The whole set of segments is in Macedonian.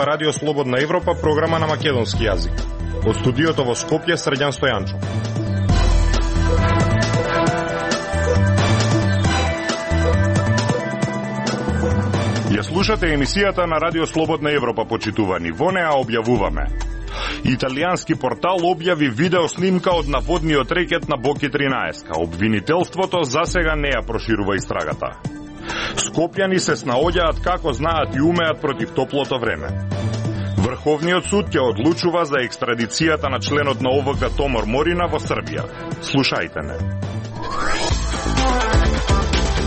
ова Радио Слободна Европа, програма на македонски јазик. Од студиото во Скопје, Срđan Стојанчов. Ја слушате емисијата на Радио Слободна Европа, почитувани. Во неа објавуваме: италијански портал објави видео снимка од наводниот рекет на Боки 13. Обвинителството засега не ја проширува истрагата. Скопјани се снаоѓаат како знаат и умеат против топлото време. Врховниот суд ќе одлучува за екстрадицијата на членот на ОВК Томор Морина во Србија. Слушајте не.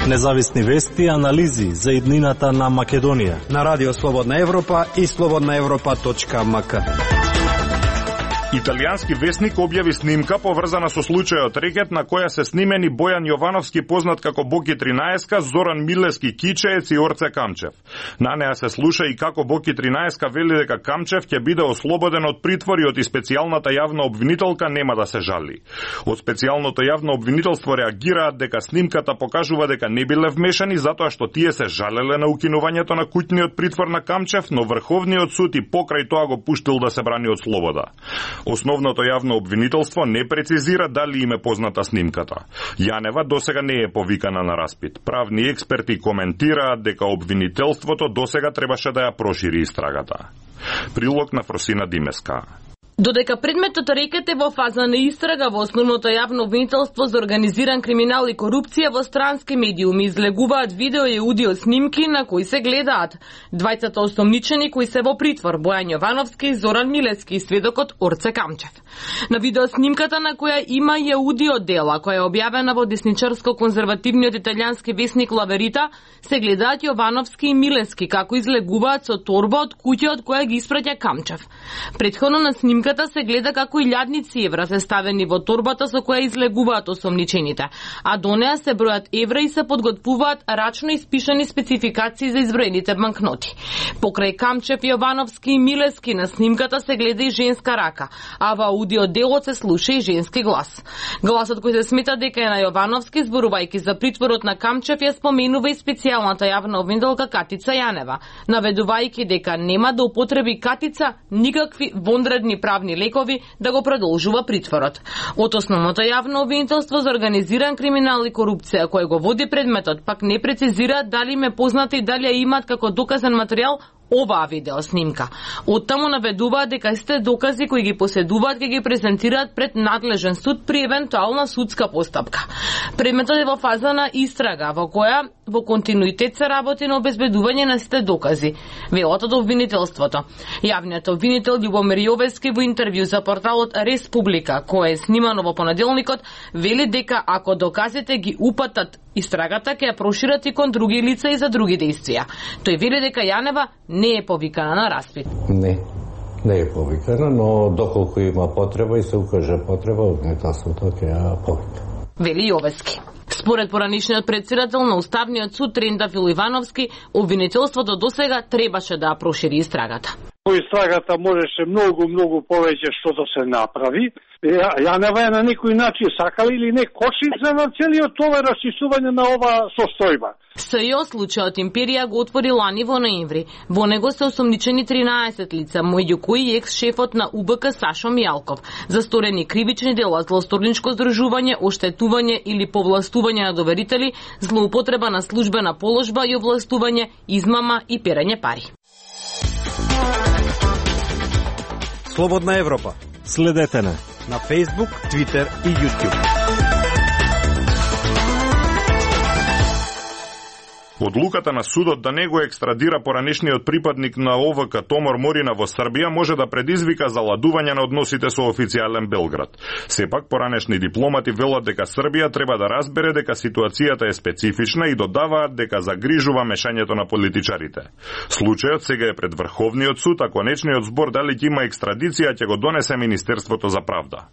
Независни вести и анализи за иднината на Македонија на Радио Слободна Европа и slobodnaevropa.mk. Италијански весник објави снимка поврзана со случајот рекет на која се снимени Бојан Јовановски, познат како Боки 13, Зоран Милески Кичеец и Орце Камчев. На неа се слуша и како Боки 13 вели дека Камчев ќе биде ослободен од притвор и од специјалната јавна обвинителка нема да се жали. Од специјалното јавно обвинителство реагираат дека снимката покажува дека не биле вмешани затоа што тие се жалеле на укинувањето на куќниот притвор на Камчев, но Врховниот суд и покрај тоа го пуштил да се брани од слобода. Основното јавно обвинителство не прецизира дали им е позната снимката. Јанева досега не е повикана на распит. Правни експерти коментираат дека обвинителството досега требаше да ја прошири истрагата. Прилог на Фросина Димеска. Додека предметот рекет е во фаза на истрага во основното јавно обвинителство за организиран криминал и корупција, во странски медиуми излегуваат видео и аудио снимки на кои се гледаат двајцата осомничени кои се во притвор: Бојан Јовановски, Зоран Милески и сведокот Орце Камчев. На видео снимката на која има и аудио дела, која е објавена во десничарско-конзервативниот италијански весник La Verità, се гледаат Јовановски и Милески како излегуваат со торба од куќа од која ги испраќа Камчев. Претходно на снимката се гледа како илјадници евра се ставени во торбата со која излегуваат осомничените, а до неа се бројат евра и се подготвуваат рачно испишани спецификации за изброените банкноти. Покрај Камчев, Јовановски и Милески на снимката се гледа и женска рака, а во аудио делот се слуша и женски глас. Гласот кој се смета дека е на Јовановски, зборувајќи за притворот на Камчев, ја споменува и специјалната јавна обвинителка Катица Јанева, наведувајќи дека нема да употреби Катица никакви вонредни правни лекови да го продолжува притворот. Од основното јавно обвинителство за организиран криминал и корупција кој го води предметот пак не прецизира дали им е позната и дали ја имаат како доказен материјал оваа видео снимка. Оттаму наведуваат дека истите докази кои ги поседуваат ќе ги презентираат пред надлежен суд при евентуална судска постапка. Предметот е во фаза на истрага во која во континуитет се работи на обезбедување на сите докази, велат од обвинителството. Јавниот обвинител Љубомир Јовески во интервју за порталот Республика, кој е снимано во понеделникот, вели дека ако доказите ги упатат истрагата, ќе ја прошират и кон други лица и за други дејствија. Тој вели дека Јанева не е повикана на распит. Не е повикана, но доколку има потреба и се укаже потреба, обвинителството ќе ја повика. Вели Јовески. Според поранишниот претседател на Уставниот суд Трендафил Ивановски, обвинителството досега требаше да ја прошири истрагата. Истрагата можеше многу повеќе што да се направи. Јанева е на некој начин сакала или не кошница на целиот ова расчистување на ова состојба. СЈО случајот Империја го отвори лани во ноември. Во него се осомничени 13 лица, меѓу кои екс-шефот на УБК Сашо Мијалков, за сторени кривични дела, злосторничко здржување, оштетување или повластување на доверители, злоупотреба на службена положба и овластување, измама и перење пари. Слободна Европа. Следете на Facebook, Twitter и YouTube. Одлуката на судот да не го екстрадира поранешниот припадник на ОВК Томор Морина во Србија може да предизвика заладување на односите со официјален Белград. Сепак, поранешни дипломати велат дека Србија треба да разбере дека ситуацијата е специфична и додаваат дека загрижува мешањето на политичарите. Случајот сега е пред Врховниот суд, а конечниот збор дали ќе има екстрадиција ќе го донесе Министерството за правда.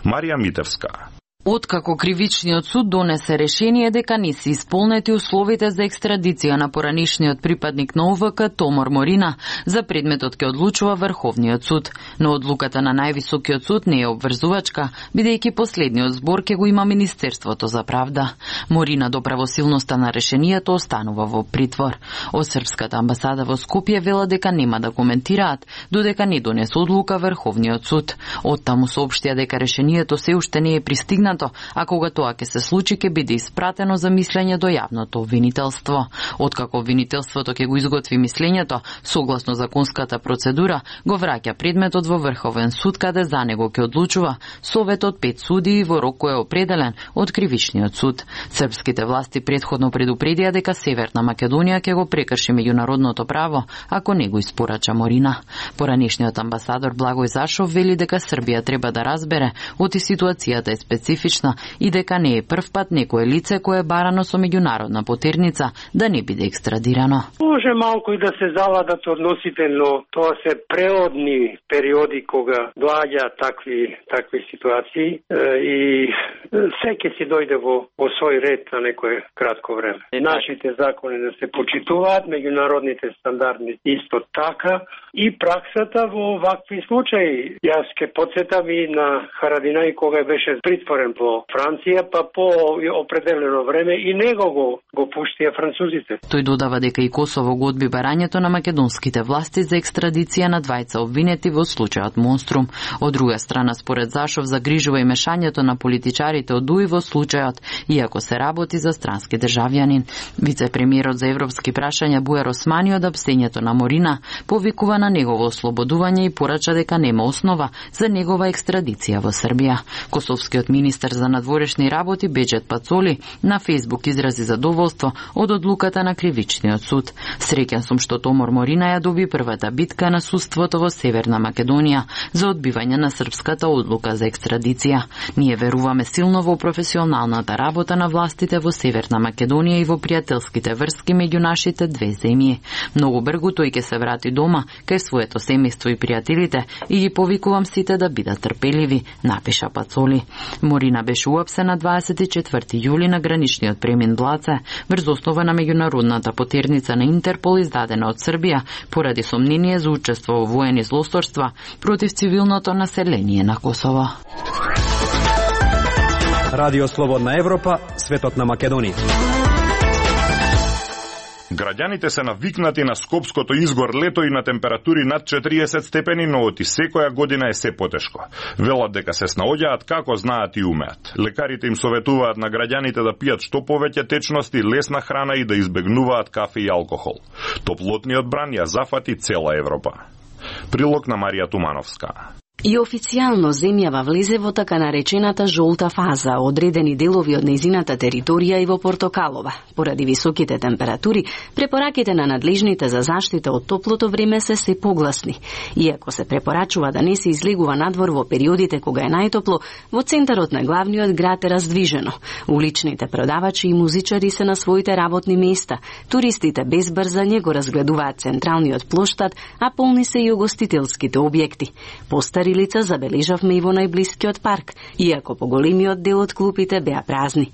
Марија Митевска. Откако кривичниот суд донесе решение дека не се исполнети условите за екстрадиција на поранишниот припадник на ОВК Томор Морина, за предметот ќе одлучува Врховниот суд, но одлуката на највисокиот суд не е обврзувачка, бидејќи последниот збор ќе го има Министерството за правда. Морина до правосилноста на решението останува во притвор. Од српската амбасада во Скопје вела дека нема да коментираат додека не донесе одлука Врховниот суд. Оттаму соопштија дека решението се уште не е пристигнато, а кога тоа ќе се случи ќе биде испратено за мислење до јавното обвинителство. Откако обвинителството ќе го изготви мислењето, согласно законската процедура, го враќа предметот во Врховен суд, каде за него ќе одлучува советот 5 судии во рок кој е определен од Кривичниот суд. Српските власти претходно предупредија дека Северна Македонија ќе го прекрши меѓународното право ако не го испорача Морина. Поранешниот амбасадор Благој Зашов вели дека Србија треба да разбере оти ситуацијата е специфична и дека не е прв пат некое лице кое е барано со меѓународна потерница да не биде екстрадирано. Може малку и да се завладат односите, но тоа се преодни периоди кога доаѓа такви ситуации и се ќе си дојде во свој ред на некое кратко време. Нашите закони да се почитуваат, меѓународните стандарди исто така и праксата во вакви случаи. Јас ќе потсетам и на Харадинај кога беше притворен во Франција, па по определено време и него го пуштија французите. Тој додава дека и Косово го одби барањето на македонските власти за екстрадиција на двајца обвинети во случајот Монструм. Од друга страна, според Зашов, загрижува и мешањето на политичарите од УИ во случајот, иако се работи за странски државјанин. Вице-премиерот за европски прашања Буер Османи од апстењето на Морина повикува на негово ослободување и порача дека нема основа за негова екстрадиција во Србија. Косовскиот министер за надворешни работи Беџет Пацоли на Фејсбук изрази задоволство од одлуката на Кривичниот суд. Среќен сум што Томор Морина ја доби првата битка на судството во Северна Македонија за одбивање на српската одлука за екстрадиција. Ние веруваме силно во професионалната работа на властите во Северна Македонија и во пријателските врски меѓу нашите две земји. Многу брзо тој ќе се врати дома кај своето семејство и пријателите и ги повикувам сите да бидат трпеливи, напиша Пацоли. Морина беше уапсена 24 јули на граничниот премин Блаце врз основа на меѓународната потерница на Интерпол издадена од Србија поради сомнение за учество во воени злосторства против цивилното население на Косово. Радио Слободна Европа, светот на Македонија. Граѓаните се навикнати на скопското изгор лето и на температури над 40 степени, но оти секоја година е се потешко. Велат дека се снаоѓаат како знаат и умеат. Лекарите им советуваат на граѓаните да пијат што повеќе течности, лесна храна и да избегнуваат кафе и алкохол. Топлотниот бран ја зафати цела Европа. Прилог на Марија Тумановска. И официјално земјава влезе во така наречената жолта фаза, одредени делови од нејзината територија и во Портокалова. Поради високите температури, препораките на надлежните за заштита од топлото време се погласни. Иако се препорачува да не се излегува надвор во периодите кога е најтопло, во центарот на главниот град е раздвижено. Уличните продавачи и музичари се на своите работни места. Туристите без брзање го разгледуваат централниот плоштад, а полни се и угостителските објекти. Постари лица забележавме и во најблискиот парк, иако поголемиот дел од клупите беа празни.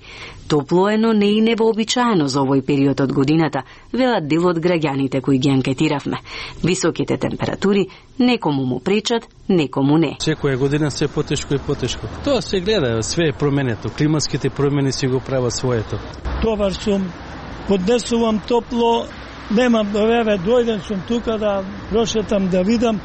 Топло е, но не и невообичаено за овој период од годината, велат дел од граѓаните кои ги анкетиравме. Високите температури некому му пречат, некому не. Секоја година се потешко и потешко. Тоа се гледа, све е променето. Климатските промени си го прават своето. Товар сум, поднесувам топло, немам еве дојден сум тука да прошетам да видам.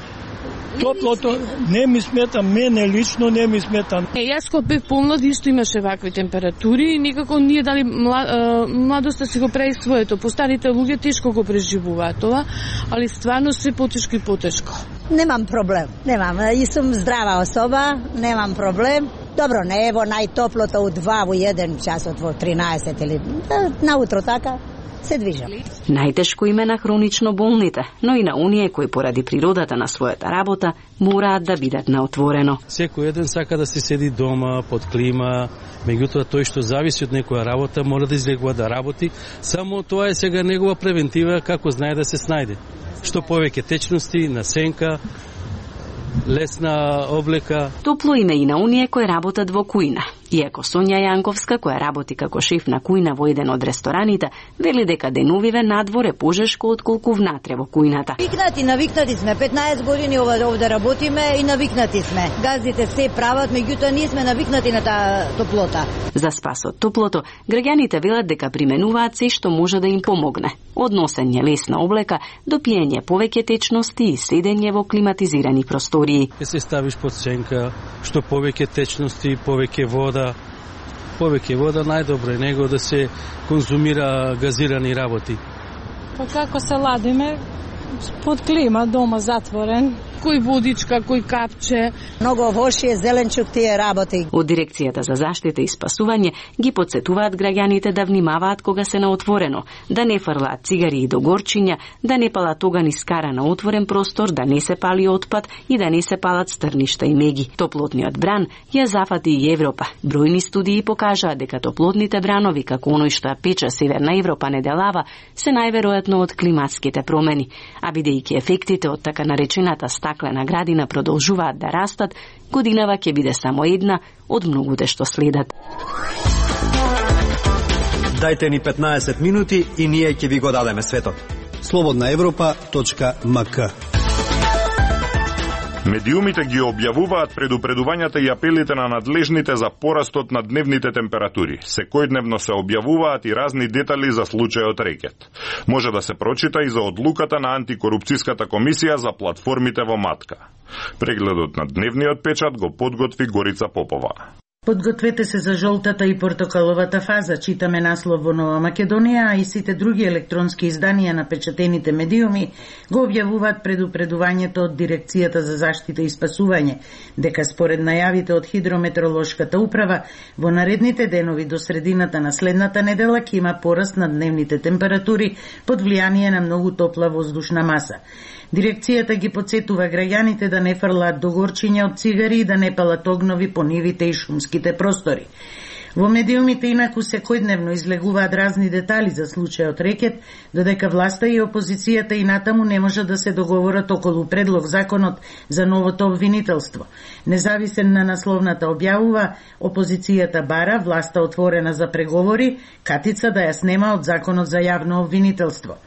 Топлото не ми смета, мене лично не ми смета. Јас кога бев помлад исто имаше вакви температури и никако ние дали младоста си го прави своето. Постарите луѓе тешко го преживуваат тоа, али стварно се потешко и потешко. Немам проблем, немам. И сум здрава особа, немам проблем. Добро, не е во најтоплото у 2, во 1 часот, во 13 или наутро така. Се движам. Најтешко им е на хронично болните, но и на оние кои поради природата на својата работа мораат да бидат на отворено. Секој еден сака да се седи дома, под клима, меѓутоа тој што зависи од некоја работа мора да излегува да работи, само тоа е сега негова превентива како знае да се снајде. Што повеќе течности, на сенка, лесна облека. Топло име и на оние кои работат во кујна. Иако Сонја Јанковска, која работи како шеф на кујна во еден од рестораните, вели дека деновиве надвор е пожешко отколку внатре во кујната. Навикнати сме, 15 години овде работиме и навикнати сме. Газдите се прават, меѓутоа ние сме навикнати на таа топлота. За спас од топлото, граѓаните велат дека применуваат се што може да им помогне. Од носење лесна облека до пиење повеќе течности и седење во климатизирани простории. Се ставиш под сенка, што повеќе течности, повеќе вода. Повеќе вода најдобро е него да се конзумира газирани работи. Па како се ладиме? Под клима, дома затворен. Кој водичка, кој капче. Многу воши, зеленчук тие работи. Од Дирекцијата за заштита и спасување ги потсетуваат граѓаните да внимаваат кога се на отворено, да не фрлаат цигари и до горчиња, да не палат оган и скара на отворен простор, да не се пали отпад и да не се палат стрништа и меги. Топлотниот бран ја зафати и Европа. Бројни студии покажаат дека топлотните бранови, како оној што ја пече Северна Европа неделава, се најверојатно од климатските промени. А бидејќи ефектите од така наречената стаклена градина продолжуваат да растат, годинава ќе биде само една од многуте што следат. Дајте ни 15 минути и ние ќе ви го дадеме светот. slobodnaevropa.mk. Медиумите ги објавуваат предупредувањата и апелите на надлежните за порастот на дневните температури. Секојдневно се објавуваат и разни детали за случајот рекет. Може да се прочита и за одлуката на антикорупцијската комисија за платформите во Матка. Прегледот на дневниот печат го подготви Горица Попова. Подгответе се за жолтата и портокаловата фаза, читаме наслов во Нова Македонија, а и сите други електронски изданија на печатените медиуми го објавуваат предупредувањето од Дирекцијата за заштита и спасување, дека според најавите од Хидрометеоролошката управа, во наредните денови до средината на следната недела ќе има пораст на дневните температури под влијание на многу топла воздушна маса. Дирекцијата ги потсетува граѓаните да не фрлаат до горчиња од цигари и да не палат огнови по нивите и шумските простори. Во медиумите инаку секојдневно излегуваат разни детали за случајот рекет, додека власта и опозицијата и натаму не можат да се договорат околу предлог законот за новото обвинителство. Независен на насловната објавува, опозицијата бара, власта отворена за преговори, катица да ја снема од законот за јавно обвинителство.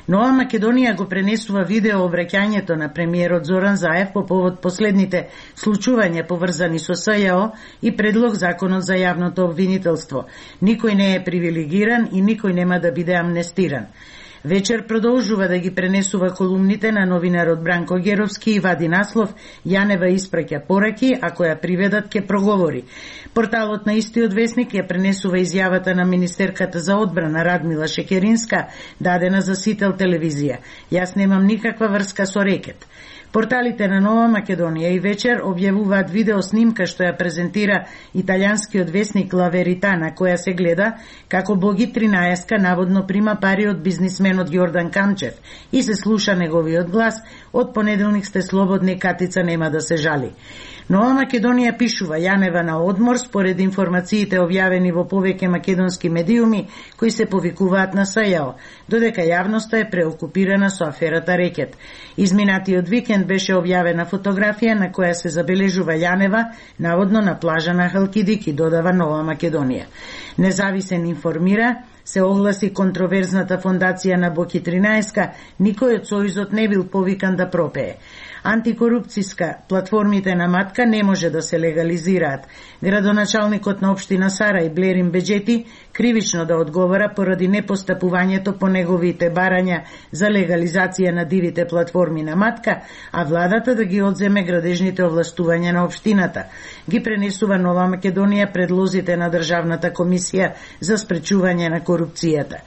Нова Македонија го пренесува видео обраќањето на премиерот Зоран Заев по повод последните случувања поврзани со СЈО и предлог законот за јавното обвинителство. Никој не е привилегиран и никој нема да биде амнестиран. Вечер продолжува да ги пренесува колумните на новинарот Бранко Геровски и вади наслов Јанева испраќа пораки, ако ја приведат ке проговори. Порталот на истиот весник ја пренесува изјавата на министерката за одбрана Радмила Шекеринска, дадена за Сител телевизија. Јас немам никаква врска со рекет. Порталите на Нова Македонија и Вечер објавуваат видео снимка што ја презентира италијанскиот весник Ла Верита, на која се гледа како Боги 13 наводно прима пари од бизнисменот Јордан Камчев и се слуша неговиот глас: од понеделник сте слободни, катица нема да се жали. Нова Македонија пишува Јанева на одмор според информациите објавени во повеќе македонски медиуми кои се повикуваат на СЈО, додека јавноста е преокупирана со аферата рекет. Изминатиот викенд беше објавена фотографија на која се забележува Јанева наводно на плажа на Халкидики, додава Нова Македонија. Независен информира, се огласи контроверзната фондација на Боки 13, никој од сојузот не бил повикан да пропее. Антикорупцијска платформите на Матка не може да се легализираат. Градоначалникот на општина Сарај Блерин Беџети кривично да одговара поради непостапувањето по неговите барања за легализација на дивите платформи на Матка, а владата да ги одземе градежните овластувања на општината. Ги пренесува Нова Македонија предлозите на Државната комисија за спречување на корупцијата.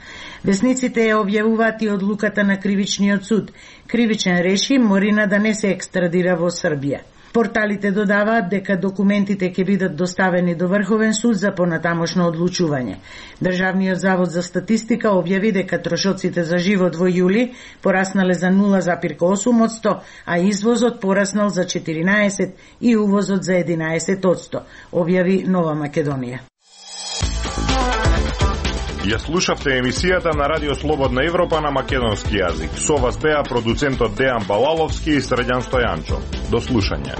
Весниците ја објавуваат и одлуката на Кривичниот суд. Кривичен реши Морина да не се екстрадира во Србија. Порталите додаваат дека документите ќе бидат доставени до Врховен суд за понатамошно одлучување. Државниот завод за статистика објави дека трошоците за живот во јули пораснале за 0,8%, а извозот пораснал за 14% и увозот за 11%, објави Нова Македонија. Ја слушавте емисијата на Радио Слободна Европа на македонски јазик. Со вас беа продуцентот Дејан Балаловски и Средјан Стојанчо. До слушање.